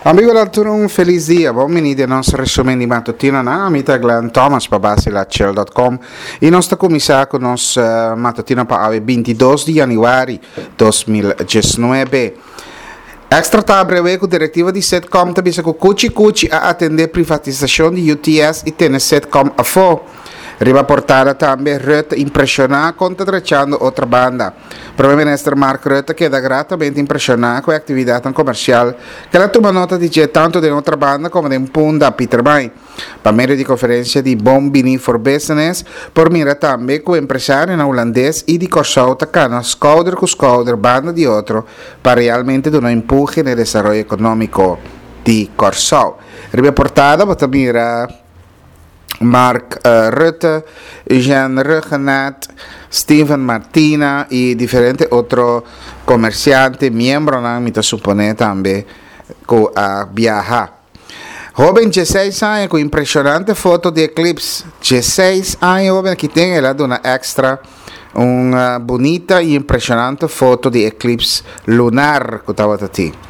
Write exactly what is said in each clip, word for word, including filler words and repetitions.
Amigo, tur un felis dia. Bon bini den nos resumen di matutino na mi ta Glenn Thomas pa basilachel punto com i nos ta kuminsá ku nos uh, matutino pa awe, bintidos di yanüari dos mil diesnuebe. Extra ta breve ku direktiva di Setcom ta bisa ku kuchi kuchi a atendé privatisashon di U T S i tene Setcom afó. Riba portada tambe, Rutte impreshoná kon ta drechando Otrabanda. Promé Minister Mark Rutte a keda gratamente impreshoná ku e aktividat komersial ku el a tuma nota di tantu den Otrabanda komo den Punda, Pietermaai. Pa medio di konferensia di Bon Bini for Business, por mira tambe ku empresarionan hulandes i di Kòrsou ta kana skouder ku skouder banda di otro pa realmente duna empuhe na desaroyo ekonómiko di Kòrsou. Riba portada, bo ta mira Mark uh, Rutte, Eugène Rhuggenaath, Steven Martina i diferente otro komersiante, miembronan, mi ta suponé tambe, ku a biaha. Hóben diesseis aña ku impreshonante foto di eclipse. diesseis aña, hóben ku tin, el a duna Extra un bunita i impreshonante foto di eclipse lunar ku tabata tin.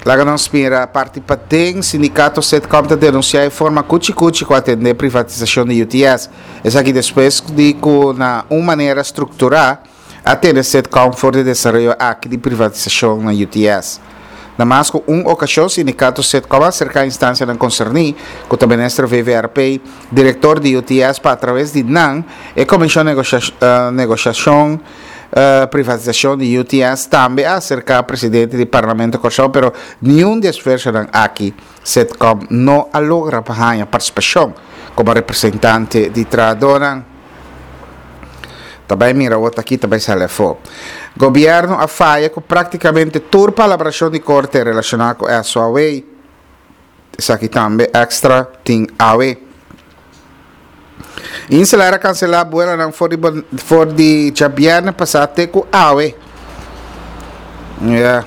Laga nos mira parti paden. Sindikato Setcom ta denunsiá e forma kuchi kuchi ku a atendé privatisashon di U T S. Esaki despues di ku na un manera strukturá a tene Setcom for di desaroyo aki di privatisashon na U T S. Na mas ku un okashon, sindikato Setcom a aserká instansianan konserní, ku ta minister V V R P, direktor di U T S, pa atraves di nan e komishon negoshashon uh, privatisashon di U T S, tambe a aserká presidente di Parlamento Kòrsou, pero ningun di e esfuersonan aki Setcom no a logra pa haña partisipashon komo representante di trahadónan. Tambe mira otro aki, tambe sali afó. Gobièrnu a faya ku práktikamente tur palabrashon di korte relashoná ku S O A W. Esaki tambe Extra tin awe. InselAir a kanselá buelonan for di, for di djabièrnè pasá te ku awe. Yeah.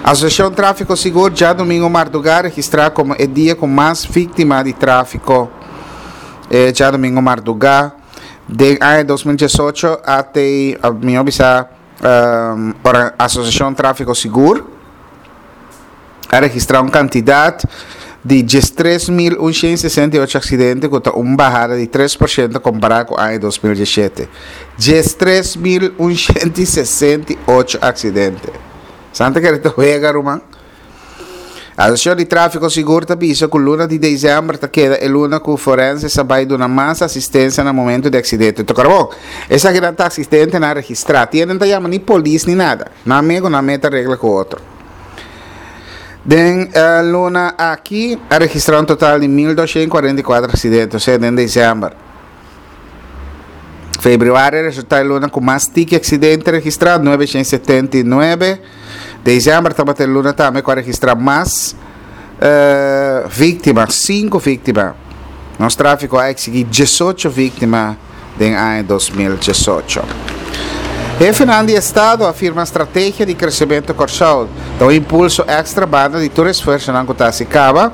Asosiashon Tráfiko Sigur, djadumingu mardugá registrá komo e dia ku mas víktima di tráfiko. Eh, djadumingu mardugá. Di aña dos mil diesocho te, mi a bisa, um, Asosiashon Tráfiko Sigur a registrá un kantidat di diestres mil un shen sesenta i ocho aksidente, ku ta un bahada di tres porshento kompará ku aña dos mil diesshete. diestres mil un shen sesenta i ocho aksidente. Santa ku ta wega, ruman. Asosiashon di Tráfiko Sigur ta bisa ku luna di desèmber ta keda e luna ku forense sa bai duna mas asistensia na momento di aksidente. Anto, bon, esaki ta asistentenan registrá. Tin no ta yama ni polis ni nada. Nan mes nan mes ta regla ku otro. Den uh, luna aki a registrá un total di mil dos shen kuarenta i kuater aksidente, o sea, den desèmber. Febrüari a resultá e luna ku mas tiki aksidente registrá, nuebe shen setenta i nuebe. Desèmber tabata e luna tambe ku a registrá mas uh, víktima, sinku víktima. Nos tráfiko a eksigí diesocho víktima den aña dos mil diesocho. Hefenan di Estado a firma strategia di kresementu Kòrsou. Ta un impulso èkstra banda di tur esfuersonan ku ta kaba,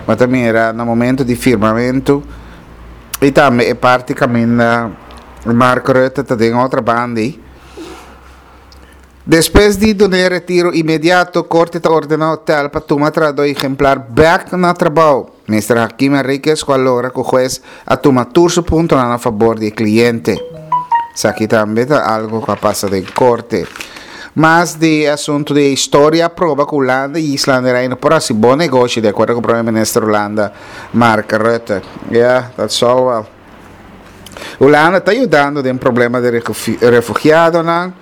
ma tambe na momento di firmamentu i tambe e parti kaminda Mark Rutte ta den otro banda. Despues di duna retiro inmediato, korte ta ordená hotel pa tuma trahadó ehemplar bèk na trabou. Minister Hakim Henriquez a logra ku hues a tuma tur su puntonan na fabor di kliente. Esaki tambe ta algu ku a pasa den korte. Mas di asuntu di historia proba ku Hulanda i Islanan Reino por hasi bon negoshi, di akuerdo ku Promé Minister Hulanda Mark Rutte. Yeah, that's all well. Hulanda ta yudando den problema di refugiadonan.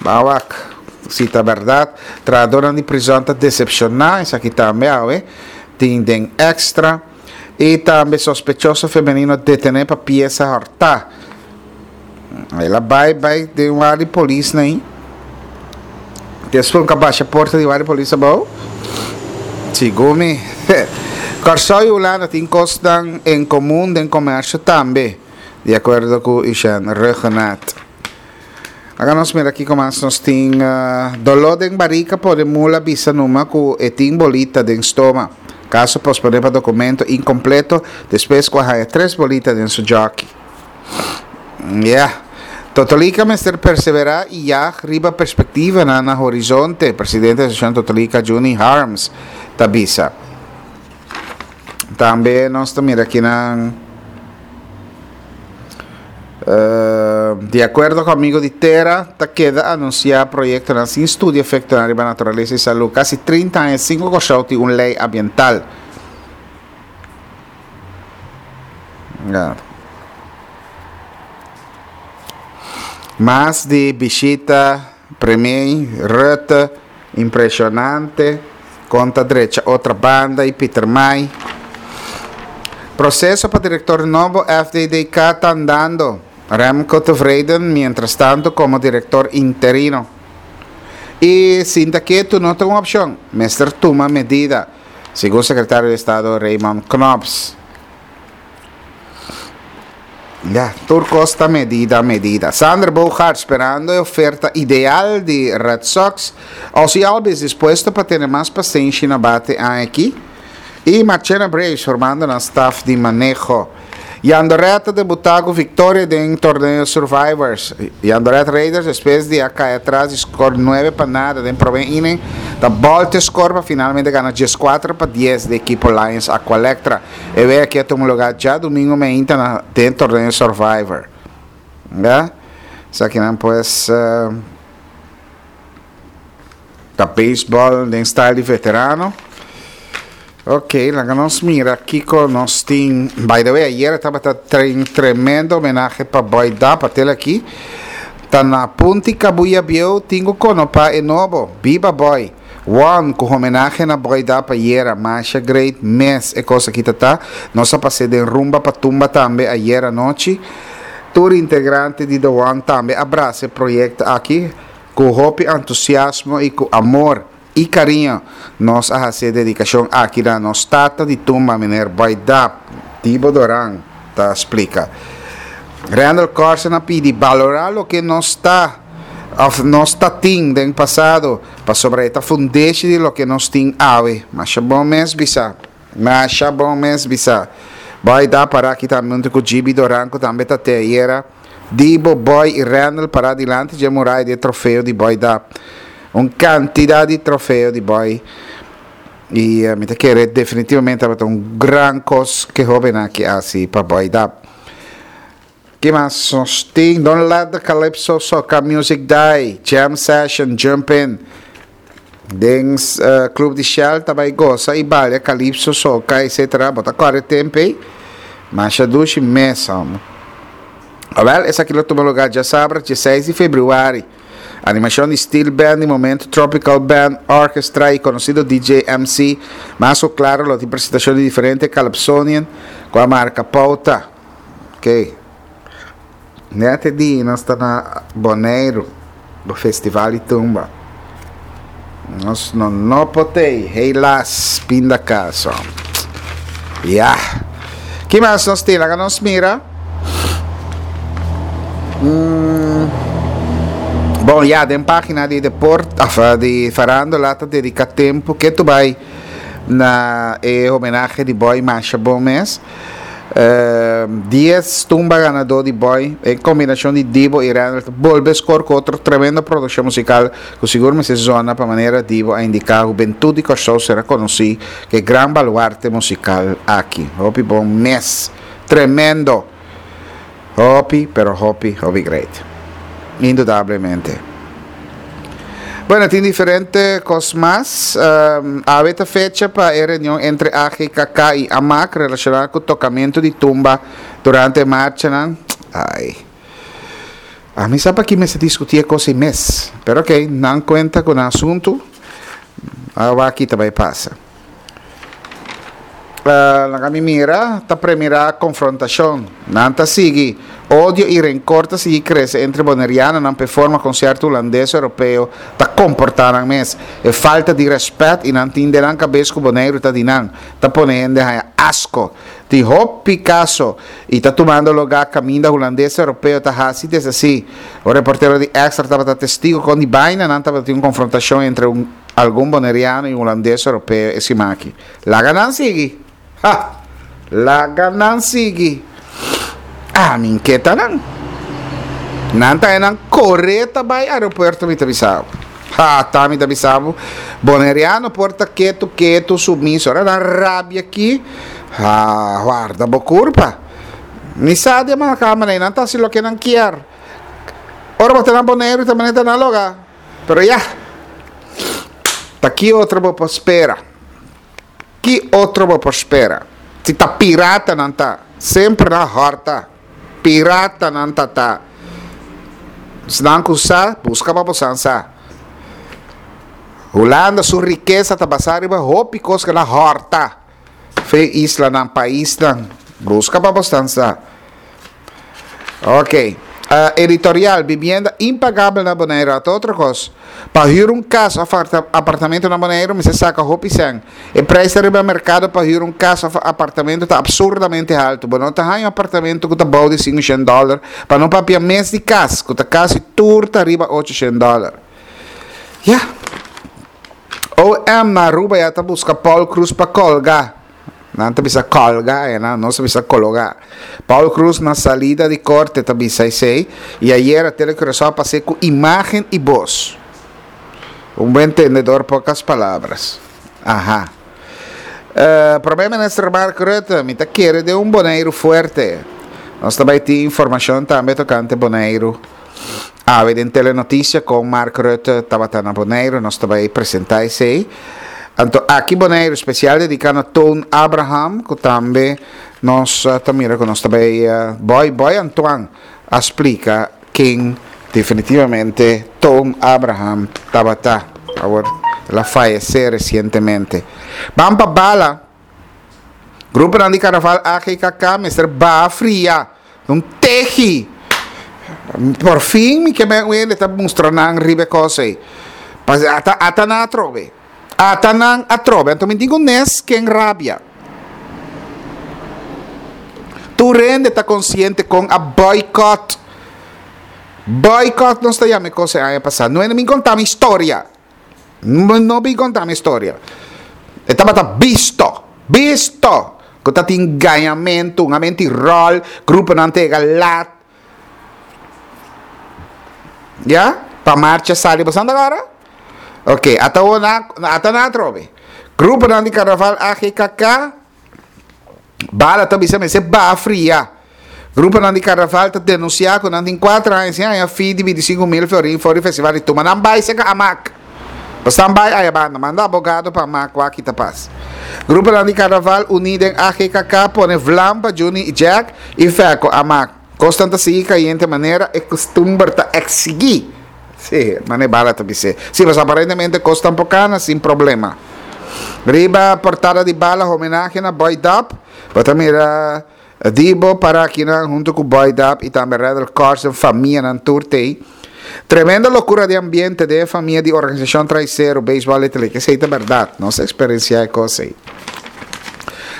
Ban wak, si ta berdat. Trahadónan di prizòn ta desepshoná, esaki tambe awe, tin den Extra. I tambe sospechoso femenino detené pa piesa hòrtá. El a bai bai den warda di polis nei. Despues a basha porta di warda di polis abou. Segun mi. Kòrsou i Hulanda tin kosnan en komun den komersio tambe, di akuerdo ku Eugène Rhuggenaath. Awor nos mira aki kon nos tin uh, doló den barika pone mula bisa numa ku e tin bolita den stoma. Kaso posponé pa dokumento inkompleto despues ku a tres bolita den su jockey. Yeah. Totolika mester perseverá i yag riba perspektivanan na horizonte, presidente di Asosiashon Totolika Juni Harms ta bisa. Tambe nos ta mira akinan di akuerdo ku Amigo di Tera ta keda anunsiá proyektonan sin studia efektonan riba naturalesa i salú. Kasi trinta aña sin ku Kòrsou tin un lei ambiental. Mas di bishita Premier Rutte impresionante con ta drecha otra banda y Pieter Maai. Proceso pa director nobo F D D K ta andando. Remco Tevreden mientrastanto como director interino. Y sinta ketu no ta un opcion, mester tuma medida, segun secretario di Estado Raymond Knops. Ya, tur cos ta medida, medida. Xander Bogaerts sperando e oferta ideal di Red Sox. Ozzie Albies dispuesto pa tene mas pasenshi na bate aña aki. Y Marchena Braves formando nan staff di maneho. Jandoret ta debuta cu victoria den torneo Survivors. Jandoret Raiders despues di a cay atras di score nuebe pa nada den prome inning ta bolte score pa finalmente gana diescuatro pa dies di ekipo Lions Aqualectra. E wea aki a tuma lugar djadumingo meinta na den torneo Survivor. Ya, esakinan pues ta baseball den style di veterano. Ok, laga nos mira kiko nos tin. By the way, ayer tabata tren tremendo homenahe pa Boy Dap, atel aki. Ta na Punti Kabuya Bieu tin ku konopa e nobo. Biba Boy! One, ku homenahe na Boy Dap ayera. Masha great mes e kos aki ta ta. Nos a pas'é den rumba pa tumba tambe ayera anochi. Tur integrante di The One tambe a brasa e proyekto aki ku hopi entusiasmo i ku amor i kariño. Nos a hasi e dedikashon aki na nos tata di tumba Meneer Boy Dap, Dibo Doran ta splika. Randal Corsen a pidi balorá loke nos ta òf nos ta tin den pasado, pasobra e ta fundeshi di loke nos tin awe. Masha bon mes bisa. Masha bon mes bisa. Boy Dap pará aki tambe huntu ku Gibi Doran ku tambe ta te ayera. Dibo, Boy i Randal pará dilanti dje muraya di e trofeo di Boy Dap. Un kantidat di trofeo di Boy i mi ta kere definitivamente tabata un gran kos ke hóbennan aki a hasi pa Boy Dap. Ki mas nos tin? Don't let the calypso soca music die, jam session, jump in. Den Club di Shell ta bai gosa i balia calypso, soca etcetera. Bo ta kore temp ei? Masha dushi mes hòmber. Awèl, esaki lo tuma lugá djasabra dieseis di febrüari. Animashon di steel band di momento Tropical Band Orchestra i konosido D J M C Mas ku klaro lo tin presentashon di diferente calypsonian ku a marka pouta. Ok. Net e dia nos ta na Boneiru, bo festival di tumba. Nos no no por tei, helaas, pinda kaso. Ya. Ki mas nos tin? Laga nos mira. Mm. Bon, ya, den pagina di deport, of, di farándula ta dedica tempo ke tu bai na e homenahe di Boy Masha Bon mes. Uh, dies tumba ganador di Boy, en combinacion di Dibo y Randall, bolbe score cu otro tremendo produccion musical cu sigur mester zona pa manera Dibo a indica hubentud di Kòrsou será conoci cu e gran baluarte musical aki. Hopi bon mes. Tremendo. Hopi, pero hopi, hopi great. Indudablemente. Bueno, tin diferente cos mas. Um, awe ta fecha pa e reunion entre A G K K y A M A C relaciona cu tocamento di tumba durante marchanan. Ai. A mi sa pa ki mester discuti e cos ei mes. Pero ok, nan cuenta cu nan asunto. Awa aki ta bay pasa. Uh, laga mi mira, ta premira confrontacion. Nan ta sigui. Odio y rencor ta sigui crece entre bonerianonan pe forma con cierto holandes europeo ta comporta nan mes. E falta di respet y nan tin den nan cabes cu Boneiru ta di nan, ta pone hende haya asco. Tin hopi caso y ta tumando lugar caminda holandes europeo ta haci deshaci. Un reportero di Extra tabata testigo con di baina nan tabatin un confrontacion entre un algun boneriano y holandes europeo e simaki. Laga nan sigui. Ha! Laga nan sigui. Ah, mi inketa nan. Nan ta nan kore ta bai aeropuerto, mi ta bisa bo. Ha, ta mi ta bisa bo. Boneriano por ta ketu ketu, sumiso. Ora nan rabia aki, ha, warda bo kurpa. Mi sa di e kamera, nan ta hasi loke nan kier. Ora bo ta na Boneiru tambe ta na loga. Pero ya. Ta ki otro bo por spera? Ki otro bo por spera? Si ta pirata nan ta, semper na horta. Pirata nan ta ta. Esnan ku sa, buska pa bo sa. Hulanda su rikesa ta basá riba hopi kos ku nan a horta. Fe islanan, paisnan. Buska pa bo sa. Ok. Uh, editorial, bibienda impagabel na Boneiru. Ta otro kos. Pa hür un kas òf apartamento na Boneiru, mester saka hopi sèn. E preis riba merkado pa hür un kas òf apartamento ta absurdamente haltu. Bo no ta haña un apartamento ku ta bou di sinkushen dòler, pa no papia mes di kas, ku ta kasi tur ta riba ochushen dòler. Ja. O M na Aruba ya ta buska Paul Croes pa kolga. Nan ta bisa kolga, eh, no, nos ta bisa kologá. Paul Croes na salida di korte ta bisa esei i ayera Telecuraçao a pas'é ku imágen i bos. Un buen entendedor, pocas palabras. Aha. Uh, Promé Minister Mark Rutte, mi ta kere den un Boneiru fuerte. Nos tambe tin informashon tambe tokante Boneiru. Ah, den Telenotisia ku Mark Rutte tabata na Boneiru, nos tambe a presentá esei. Anto, aki Boneiru, spesial dediká na Toon Abraham, ku tambe nos uh, tambe ku nos tambe uh, Boy Boy Antoine a splika ken definitivamente Toon Abraham tabata. Awor, el a fayesé resientemente. Ban pa Bala. Grupo di Karnaval A G K K mester baha fria. Un tehi. Por fin mi ke men ta mustra nan riba kos ei. Ata ata nan atrobe. Ata nan atrobe. Anto mi digo nes ken rabia. Tur hende ta konsiente kon a boycott. Boycott nos ta yama kos aña pasá. No mi konta mi historia. No, no mi konta mi historia. E tabata bisto. Bisto. Ku tabatin gañamentu, un ròl, gruponan a yega lat. Ya? Pa marcha sali, bo awor? Ok, ata ata nan atrobe. Gruponan di Karnaval A G K K. Bala ta bisa mester baha fria. Gruponan di Karnaval ta denunsiá ku nan tin kuater aña sin haña fee di bintisinku mil florin for di festival di Tuma. Nan bai serka Amak. Nan bai aya banda, manda abogado pa Amak aki ta pas. Gruponan di Karnaval uní den A G K K a pone vlam pa Juni i Jack i Feco Amak. Kosnan ta sigui kayente manera e kustumber ta eksigí. Sí, mane Bala ta bisa. Sí, mas aparentemente kos tampoko sin problema. Riba portada di Bala, homenahe na Boy Dap. Bo ta mira Dibo para aki na huntu ku Boy Dap i tambe Redel Carson, famianan tur t'ei. Tremendo lokura di ambiente di famia di organisashon Traisero, Baseball Italy, ku esei ta berdat, nos eksperensiá kos ei.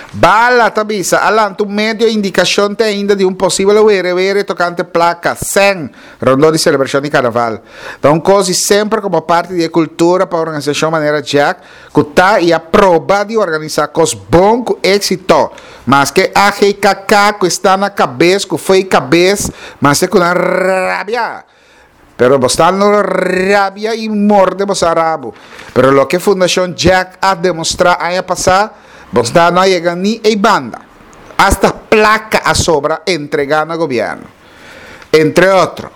Bala ta bisa, a lanta un medio indikashon te ainda di un posibel were were tokante plaka, sèn, rondó di selebrashon di karnaval. Anto, kos semper komo parti di kultura pa organisashon manera Jack, ku ta i a proba di organisá kos bon ku éksito. Maske A G K K ku ta na kabes, ku foi kabes, mas ku na rabia. Pero bo no rabia i morde bo rabo. Pero loke Fundashon Jack a demostrá aña pasá, bo no a yega ni e banda. Hasta plaka a sobra entregá na gobièrnu. Entre otro.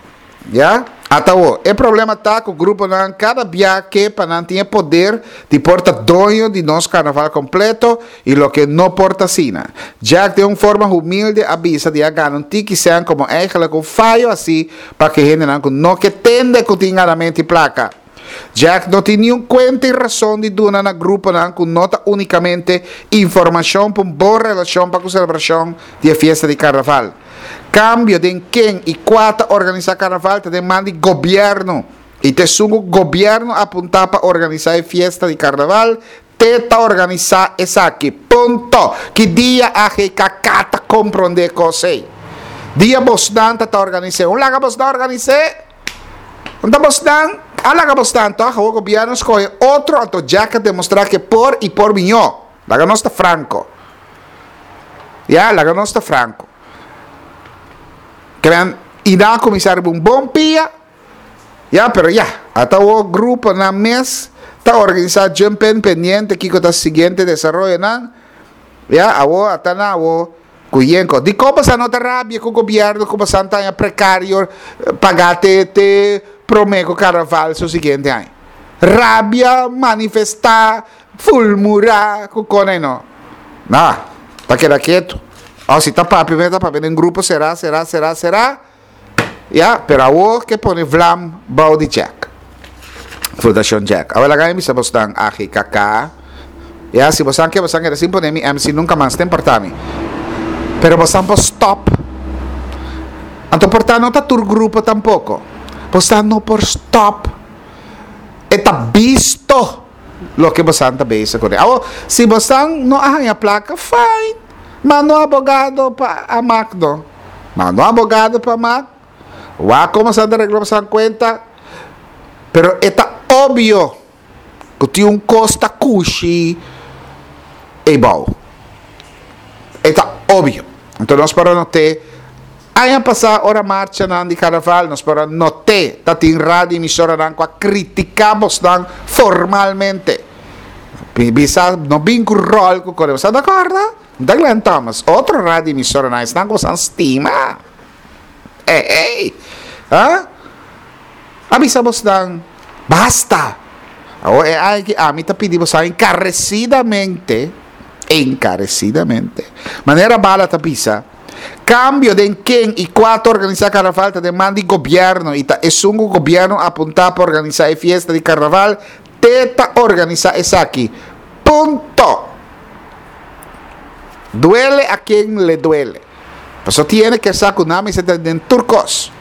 Ya? Ata e problema ta ku e gruponan kada biaha pa nan tin poder di por ta doño di nos karnaval kompleto i loke no por ta asina. Jack di un forma humilde a bisa di a gana un tiki sèn komo eigenlijk un fayo asina pa ku hendenan no ke tende ku tin ganamentu plaka. Jack no tin ningun kuenta i rason di duna na gruponan ku no ta únikamente informashon pa un bon relashon pa e selebrashon di fiesta di karnaval. Kambio di ken i kua ta organisá karnaval ta den man di gobièrnu. I ta esun ku gobièrnu apuntá pa organisá e fiesta di karnaval, t'e ta organisá esaki. Punto. Ki dia A G K K ta komprondé kos ei? Dia bosnan ta organisá. Un laga bosnan organisá. Anto bosnan, a laga bosnan toch, e gobièrnu skohe otro, anto Jack a demostrá ku por i por mihó. Laga nos ta franko. Ya, laga nos ta franko. Kren, I nan a kuminsá riba un bon pia. Ya, pero ya, ata awor gruponan mes ta organisá jump in pendiente kiko ta siguiente desaroyonan. Ya, awor ata nan awor ku yenko. Dikon boso no ta rabia ku gobièrnu ku boso ta haña prekario pagá te te promé ku karnaval su siguiente aña? Rabia, manifestá, fulmurá ku kone no. No, ta keda ketu. Òf si ta papia ta papia den grupo será, será, será, será. Ya, pero awor ke pone vlam bou di Jack. Fundashon Jack. Awor laga mi bisa bosnan A G K K. Ya, si bosan ke bosan keda sin pone mi M C nunka mas, ta importa mi. Pero bosan por stop. Anto por ta no ta tur grupo tampoko. Bosan no por stop. E ta bisto loke bosan ta bezig kuné. Awor, si bosan no a haña plaka, fine. Manda un abogado pa a mak no. Manda un abogado pa mak. Wak komo san ta regla bosan kuenta. Pero e ta obvio ku tin un kos ta kushi eibou. E ta obvio. Anto nos por a noté aña pasá ora marchanan di karnaval, nos por a noté ta tin radio emisoranan ku a kritiká bosnan formalmente. Bisa no bin ku ròl ku kore. Boso ta kòrda? Ta Glenn Thomas, otro radio emisoranan esnan ku boso stima. Ey, ey. Ha? A bisa bosnan, basta. Awor e ai ki ami ta pidi bosan encarecidamente, encarecidamente. Manera Bala ta bisa, cambio den ken i kua ta organisa carnaval ta den man di gobierno i ta esun ku gobierno apunta pa organisa e fiesta di carnaval te ta organisa esaki. Punto. Duele a ken le duele. Paso tiene ke sa ku nan mester ta den tur kos.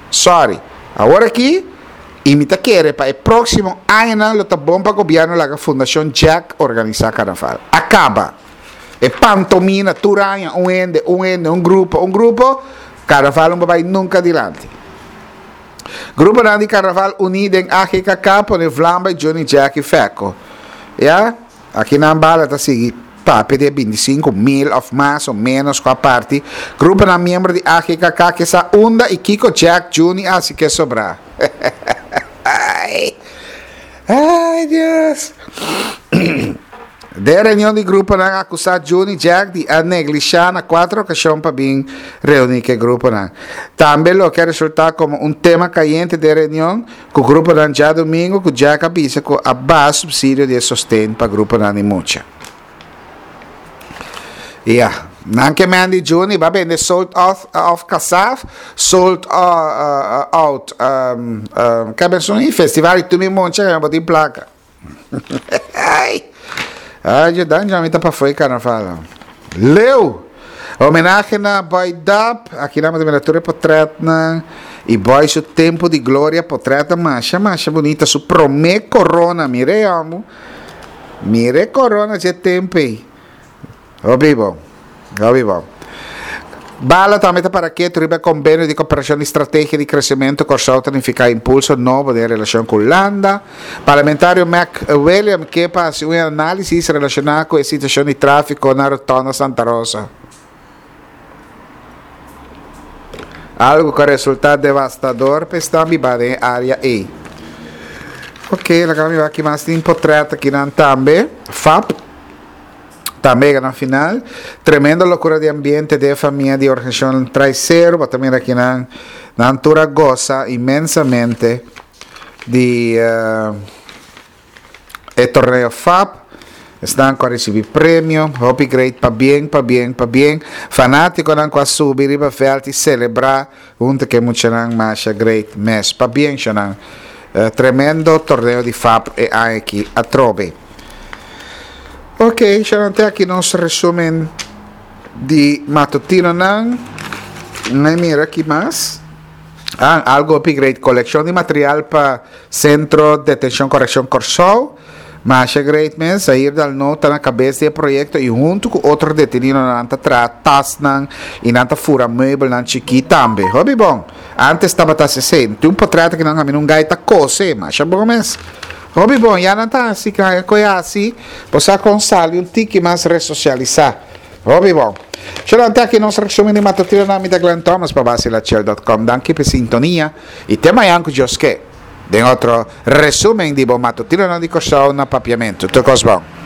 Sorry. Awor aki, i mi ta kere pa e próksimo añanan lo ta bon pa gobièrnu laga Fundashon Jack organisá karnaval. A kaba. E pantomina tur aña, un hende, un hende, un grupo, un grupo, karnaval no por bai nunka dilanti. Gruponan di karnaval uní den A G K K pone vlam bai Johnny Jack i Fecco. Ya, aki nan bala ta sigui papia di e bintisinku mil òf mas o ménos ku a parti. Gruponan miembro di A G K K ke sa unda i kiko Jack, Juni a hasi ke sobrá. Ai, ai Dios. Den reunion di gruponan a akusá Juni Jack di a neglishá na kuater okashon pa bin reuní ku e gruponan. Tambe loke a resultá komo un tema kayente den reunion ku gruponan djadumingu ku Jack a bisa ku a baha supsidio di e sosten pa gruponan di mucha. Ya, nan ke men di Juni ba bende sold off of Kasaf, sold out um, um, ke benson i festival i tumi moncha ke bo tin plaka. Ai, ai, dan ja mi ta pa foi carnaval. Leu! Homenahe na Boy Dap, aki nan mira tur e potretnan. I Boy su tempo di gloria, potret masha masha bonita, su prome corona, mire amo. Mire corona dje tempo ei. Hopi bon, hopi bon. Bala tambe ta para ketu riba e kombenio di koperashon di strategia di kresementu Kòrsou ta nifiká impulso nobo den e relashon ku Hulanda. Parlamentario Mac William ke pa hasi un análisis relashoná ku e situashon di tráfiko na Rotonda Santa Rosa. Algu ku a resultá devastador pa esnan bibá den e área ei. Oké, laga mi wak ki mas tin potrèt akinan tambe. Fap. Tambe yega na final. Tremendo locura di ambiente den e famia di organisacion Traicero. Bo ta mira aki nan, nan tur a goza inmensamente di e torneo F A P. Esnan cu a ricibi premio. Hopi great. Pabien, pabien, pabien. Fanaticonan cu a subi riba veld y celebra hunto cu e muchanan masha great mes. Pabien, shonan. Tremendo torneo di F A P e aña aki atrobe. Ok, shonan, te aki nos resumen di matutinonan. Nay mira ki mas. Ah, algo hopi great. Coleccion di material pa Centro Detencion Correccion Corsou. Masha great mes. Zahir Dalno ta na cabes di e proyecto y hunto cu otro deteninonan ta traha tasnan y nan ta fura meubelnan chiki tambe. Hopi bon. Antes tabata haci esey. Tin un potret aki nan caminda un guy ta cose. Masha bon mes. Hopi bon. Ya nan ta haci, koe haci. Bo sa con sali un tiki mas resocialisa. Hopi bon. Shalom, te aki nos resumen di matutino. Mi ta Glenn Thomas pa Basilachel punto com. Danki pa sintonia i te mañan ku Dios ke, den otro resumen di bo matutino di Kòrsou na Papiamentu. Tur kos bon.